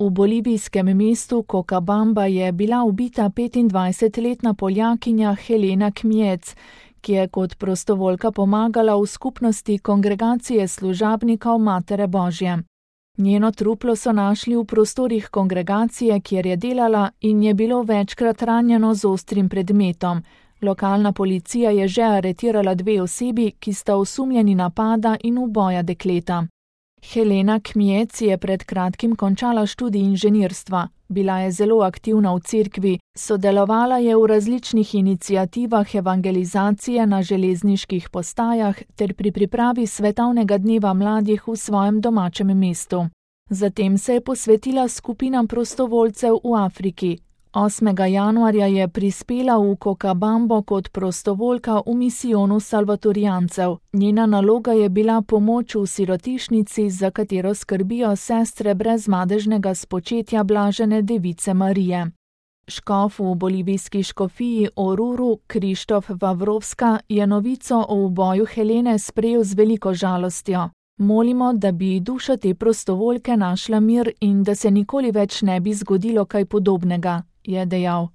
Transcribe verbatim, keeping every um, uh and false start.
V bolivijskem mestu Cochabamba je bila ubita petindvajsetletna Poljakinja Helena Kmiec, ki je kot prostovoljka pomagala v skupnosti Kongregacije služabnikov Matere Božje. Njeno truplo so našli v prostorih kongregacije, kjer je delala in je bilo večkrat ranjeno z ostrim predmetom. Lokalna policija je že aretirala dve osebi, ki sta osumljeni napada in uboja dekleta. Helena Kmiec je pred kratkim končala študij inženirstva. Bila je zelo aktivna v cerkvi, sodelovala je v različnih iniciativah evangelizacije na železniških postajah ter pri pripravi svetovnega dneva mladih v svojem domačem mestu. Zatem se je posvetila skupinam prostovoljcev v Afriki. osmega januarja je prispela v Cochabambo kot prostovoljka v misijonu salvatorijancev. Njena naloga je bila pomoč v sirotišnici, za katero skrbijo sestre brezmadežnega spočetja blažene device Marije. Škof v bolivijski škofiji Oruru, Krištof Vavrovska, je novico o uboju Helene sprejel z veliko žalostjo. Molimo, da bi duša te prostovoljke našla mir in da se nikoli več ne bi zgodilo kaj podobnega, je dejal.